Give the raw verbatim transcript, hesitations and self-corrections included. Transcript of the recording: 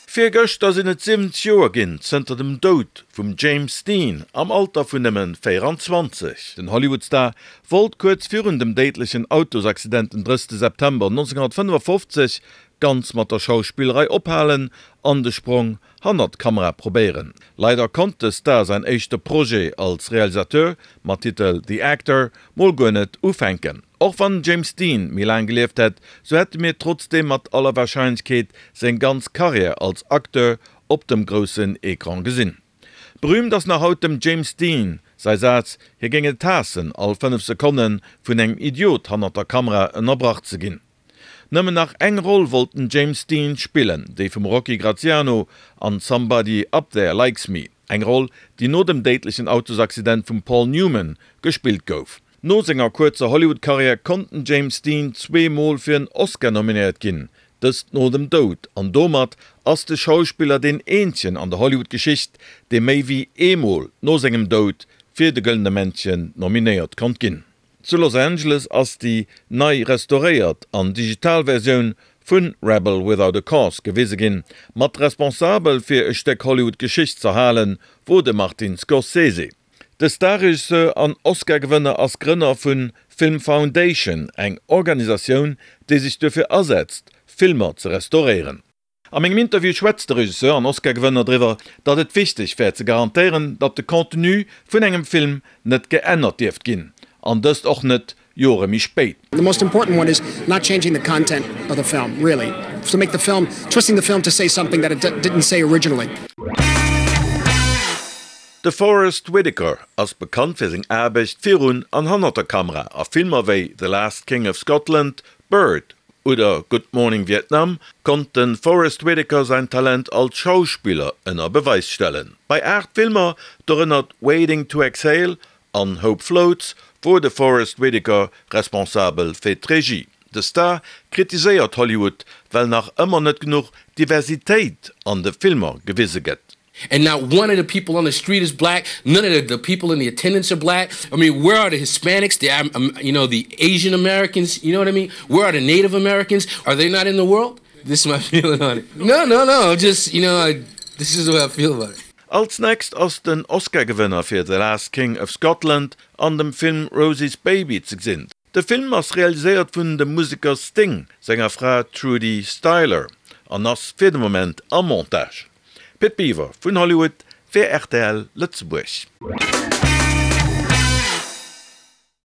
Virgëschter sinn et siwwenzeg Joer ginn zënter dem Doud vum James Dean am Alter vun nëmmen véieranzwanzeg. Den Hollywood-Star wollt kuerz virun dem déidlechen Autosaccident den drëssigste September nonzénghonnertfënnefafofzeg ganz mat der Schauspillerei ophalen an de Sprong hannert d'Kamera probéieren. Leider konnt de Star säin éischte Projet als Realisateur mat Titel The Actor mol guer net ufänken. Och wann James Dean méi laang gelieft hätt, sou hätte mir trotzdeem mat aller Warscheinlechkeet seng ganz Karriär als Acteur op dem groussen Ecran gesinn. Berüümt ass nach haut dem James Dean säi Saz, hie géing et haassen, all fënnef Sekonne vun engem Idiot hannert der Kamera ënnerbrach ze ginn. Nëmmen nach eng Roll wollt den James Dean spillen, déi vum Rocky Graziano an Somebody Up There Likes Me, eng Roll, déi no dem déidlechen Autosaccident vum Paul Newman gespillt gouf. No senger kuerzer Hollywood-Karriär konnt den James Dean zwee Mol fir en Oscar nominéiert ginn, dëst no dem Doud, an domat ass de Schauspiller deen eenzegen an der Hollywood-Geschicht, dee méi wéi eemol no sengem Doud fir de Gëllene Männchen nominéiert konnt ginn. Zu Los Angeles ass déi nei restauréiert an digital Versioun vu Rebel Without a Cause gewise ginn. Mat responsabel fir e Stéck Hollywood-Geschicht z'erhalen, wor de Martin Scorsese. De Starregisseur an Oscar-Gewënner ass Grënner vu Film Foundation, eng Organisatioun, déi sech dofir asetzt, Filmer ze restauréieren. A mengem Interview schwätzt de Regisseur an Oscar-Gewënner driwwer, datt et wichteg wär ze garantéieren, datt de Contenu vun engem Film net geännert dierft ginn, an dëst och net Jore méi spéit. The most important one is not changing the content of the film, really. To make the film, twisting the film to say something that it didn't say originally. De Forest Whitaker ass bekannt fir seng Aarbecht virun an hannert der Kamera. A Filmer wéi The Last King of Scotland, Bird oder Good Morning Vietnam konnt de Forest Whitaker säin Talent als Schauspiller ënner Beweis stellen. Bei aacht Filmer, dorënner Waiting to Exhale an Hope Floats, wor de Forest Whitaker responsabel fir d'Regie. De Star kritiséiert Hollywood, well nach ëmmer net genuch Diversitéit an de Filmer gewise gëtt. And not one of the people on the street is black. None of the, the people in the attendance are black. I mean, where are the Hispanics, the, um, you know, the Asian Americans? You know what I mean? Where are the Native Americans? Are they not in the world? This is my feeling on it. No, no, no. Just, you know, I, this is the way I feel about it. Als nächst ass den Oscar-Gewënner fir The Last King of Scotland an dem Film Rosie's Baby ze gesinn. De Film ass realiséiert vun dem Museker Sting senger Fra Trudie Styler an ass fir de Moment am Montage. Pit Biwer vun Hollywood fir rtl Lëtzebuerg.